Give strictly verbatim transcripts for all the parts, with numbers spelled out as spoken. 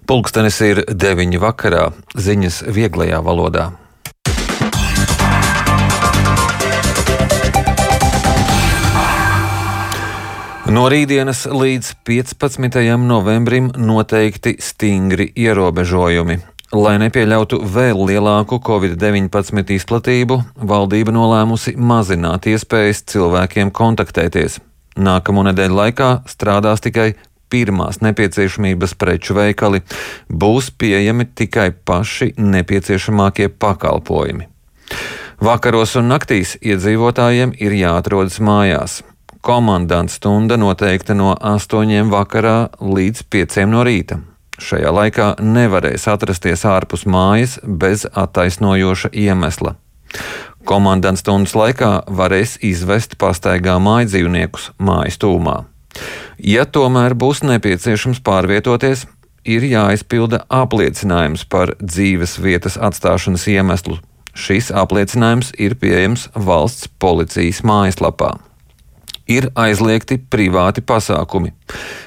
Pulkstenis ir deviņi vakarā, ziņas vieglajā valodā. No rītdienas līdz piecpadsmitajam novembrim noteikti stingri ierobežojumi. Lai nepieļautu vēl lielāku covid deviņpadsmit izplatību, valdība nolēmusi mazināt iespējas cilvēkiem kontaktēties. Nākamo nedēļu laikā strādās tikai pirmās nepieciešamības preču veikali, būs pieejami tikai paši nepieciešamākie pakalpojumi. Vakaros un naktīs iedzīvotājiem ir jāatrodas mājās. Komandanta stunda noteikta no astoņiem vakarā līdz pieciem no rīta. Šajā laikā nevarēs atrasties ārpus mājas bez attaisnojoša iemesla. Komandanta stundas laikā varēs izvest pastaigā mājdzīvniekus mājas tūmā. Ja tomēr būs nepieciešams pārvietoties, ir jāizpilda apliecinājums par dzīves vietas atstāšanas iemeslu. Šis apliecinājums ir pieejams valsts policijas mājaslapā. Ir aizliegti privāti pasākumi.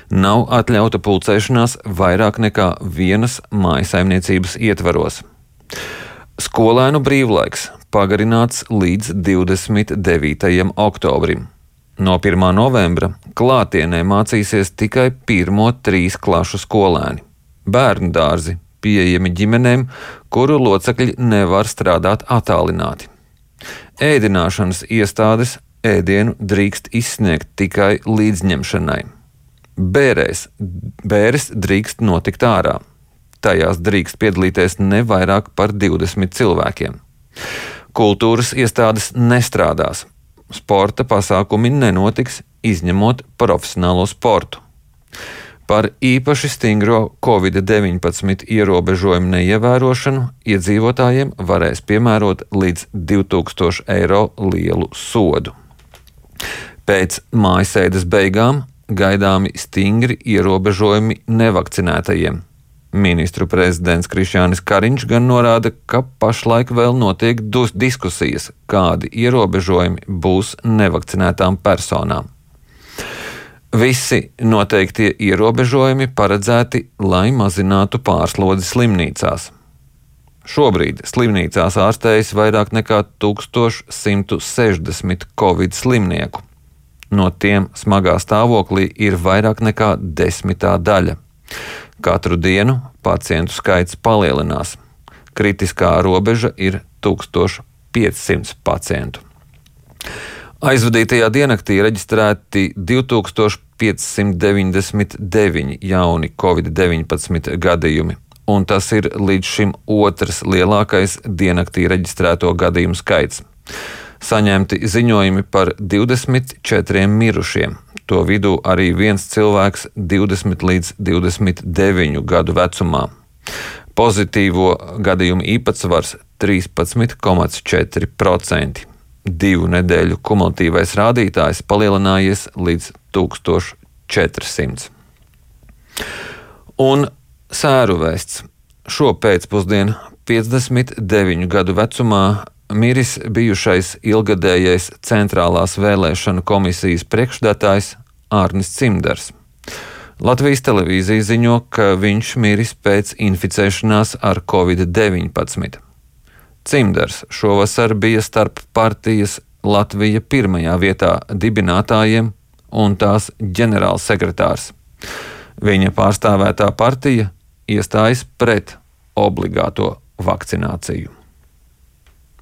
Nav atļauta pulcēšanās vairāk nekā vienas mājsaimniecības ietvaros. Skolēnu brīvlaiks pagarināts līdz divdesmit devītajam oktobrim. No pirmā novembra klātienē mācīsies tikai pirmo trīs klašu skolēni. Bērnu dārzi pieejami ģimenēm, kuru locekļi nevar strādāt attālināti. Ēdināšanas iestādes ēdienu drīkst izsniegt tikai līdzņemšanai. Bērēs, bēres drīkst notikt ārā. Tajās drīkst piedalīties ne vairāk par divdesmit cilvēkiem. Kultūras iestādes nestrādās. Sporta pasākumi nenotiks, izņemot profesionālo sportu. Par īpaši stingro covid deviņpadsmit ierobežojumu neievērošanu iedzīvotājiem varēs piemērot līdz divtūkstošu eiro lielu sodu. Pēc mājasēdes beigām gaidāmi stingri ierobežojumi nevakcinētajiem. Ministru prezidents Krišjānis Kariņš gan norāda, ka pašlaik vēl notiek diskusijas, kādi ierobežojumi būs nevakcinētām personām. Visi noteiktie ierobežojumi paredzēti, lai mazinātu pārslodzi slimnīcās. Šobrīd slimnīcās ārstējas vairāk nekā tūkstoš simt sešdesmit covid slimnieku. No tiem smagā stāvoklī ir vairāk nekā desmitā daļa. Katru dienu pacientu skaits palielinās. Kritiskā robeža ir tūkstoš piecsimt pacientu. Aizvadītajā diennaktī reģistrēti divtūkstoš piecsimt deviņdesmit deviņi jauni covid deviņpadsmit gadījumi, un tas ir līdz šim otrs lielākais diennaktī reģistrēto gadījumu skaits. Saņemti ziņojumi par divdesmit četriem mirušiem, to vidū arī viens cilvēks divdesmit līdz divdesmit deviņu gadu vecumā. Pozitīvo gadījumu īpatsvars trīspadsmit komats četri procenti. Divu nedēļu kumulatīvais rādītājs palielinājies līdz tūkstoš četrsimt. Un sēru vēsts. Šo pēcpusdienu piecdesmit deviņu gadu vecumā miris bijušais ilgadējais Centrālās vēlēšanu komisijas priekšsēdētājs Ārnis Cimders. Latvijas televīzija ziņo, ka viņš miris pēc inficēšanās ar covid deviņpadsmit. Cimders šovasar bija starp partijas Latvija pirmajā vietā dibinātājiem un tās ģenerālsekretārs. Viņa pārstāvētā partija iestājas pret obligāto vakcināciju.